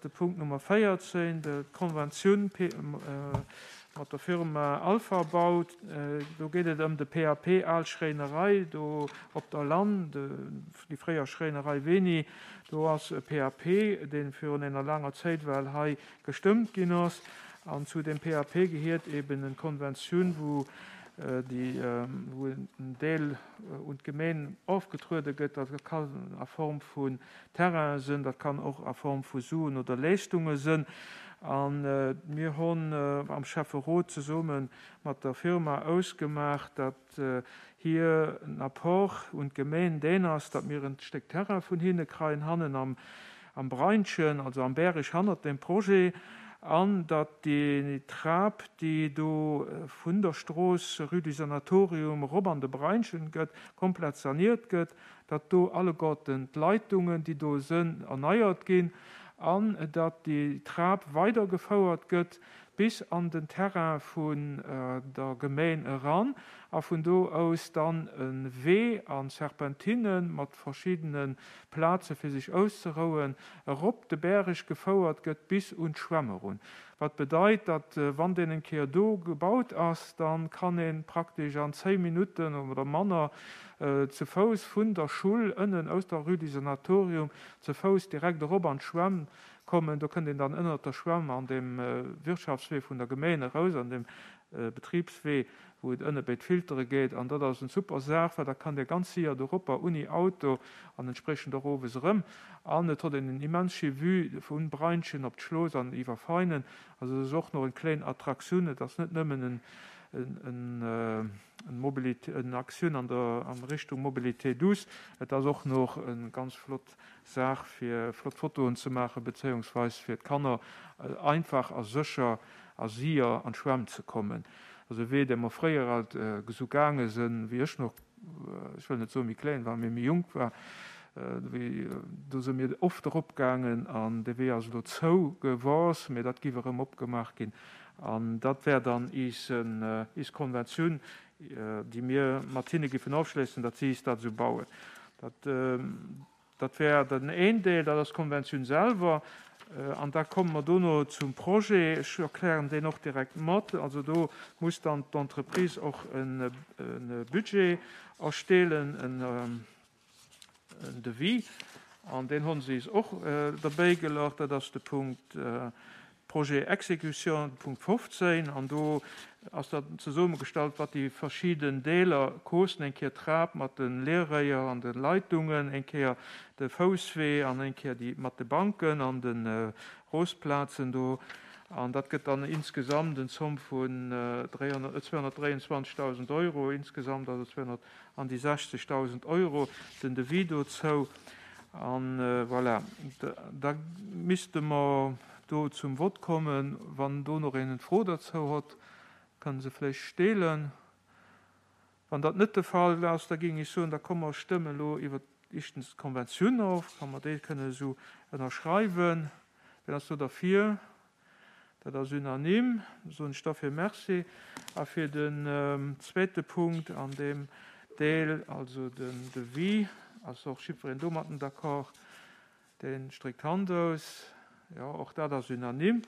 De Punkt Nummer 14, d'Konventioun mat der Firma Alpha Bau. Do geet et ëm de PAP Al Schréinerei do op der Lann, déi fréier Schréinerei Weni. Do ass e PAP, dee virun enger laanger Zéit well hei gestëmmt ginn ass. An zu deem PAP gehiert eben en Konventioun, wou déi, wou en Deel un d'Gemeen ofgetruede gëtt. Dat kann a Form vun Terrainen sënn, dat kann och a Form vu Suen oder Leeschtunge sënn. A mir honn am Schäfferot zesumme mat der Firma ausgemaach, datt hir en Apport un d'Gemeen deen ass, datt mir en Stéck Terrain vun hinne kreien hannen am Breinchen, also am Bäreg hannert dem Projet, an datt déi Trap, déi do vun der Strooss Rue du Sanatorium erop an de Breinchen gëtt, komplett saniert gëtt, datt do alleguerten d'Leitungen, déi do sënn, erneiert ginn an datt déi Trap weidergefouert gëtt bis an den Terrain vun der Gemeen eran a vun do aus dann e Wee a Serpentinne mat verschiddene Plaze fir sech auszerouen erop de Bäreg gefouert gëtt bis un d'Schwämm erun. Wat bedeit, datt wann deen eng Kéier do gebaut ass, da kann ee praktesch an 10 Minutten oder manner ze Fouss vun der Schull ënnen aus der Rue du Sanatorium ze Fouss direkt erop an d'Schwämm kommen. Do kënnt een dann ënnert der Schwämm an dem Wirtschaftswee vun der Gemeen eraus, an dem Betribswee, wou et ënne béi d'Filtere geet. An dat ass en super Saach, well da kann Dir ganz séier doropper unni Auto an entspriechend och owes erëm. An et hott een en immens schéi Vue vun Breinschen op d'Schlooss an iwwer Veinen. Also et ass och nach en kléin Attraktioun. Et ass net nëmmen en en Mobilité, en Aktioun an der an Richtung Mobilité douce, et ass och nach en ganz flott Saach fir flott Fotoen ze maachen, bezéiungsweis fir d'Kanner einfach a sécher a sier an d'Schwämm ze kommen. Also e Wee, dee mer fréier alt esou gaange sënn, wéi ech nach, ech wëll net soen méi kléin war, mee méi jonk war, wéi do së mir oft erop gaangen an dee Wee ass elo zou gewors, mee dat giff erëm opgemaach ginn an dat wär dann iis, iis Konventioun, déi mir mat hinne giffen ofschléissen, datt si is dat esou bauen. Dat. Dat wär den een Deel, dat ass d'Konventioun selwer. An da komme mer dono zum Projet. Ech erklären deen och direkt mat. Also do muss dann d'Entreprise och e Budget erstellen, en Devis. An deen hu se is och derbäigelach. Dat ass de Punkt Projet Exécution, Punkt 15, an do ass da zesummegestallt, wat déi verschidden Deeler koosten, eng Kéier d'Trap mat de Leerréier an de Leitungen, eng Kéier de Fousswee an eng Kéier déi mat de Banken an de Rosplazen do. An dat gëtt dann insgesamt en Zomm vun 223.000 Euro insgesamt, also 200 an déi 60.000 Euro, den Devis dozou. An voilà, da misste mer do zum Vott kommen. Wann do nach een eng Fro derzou hott, kann se vläicht steelen. Wann dat net de Fall ass, da géing ech soen, da komme mer stëmmen elo iwwert éischtens d'Konventioun of, wa mer déi kënnen esou ënnerschreiwen. Wien ass do derfir? Dat ass unanime. Soen ech derfir Merci. A fir den zweete Punkt an deem Deel, also den Devis, ass och jiddwereen domatten d'accord. Dee stréckt d'Hand aus. Jo, och dat ass unanime.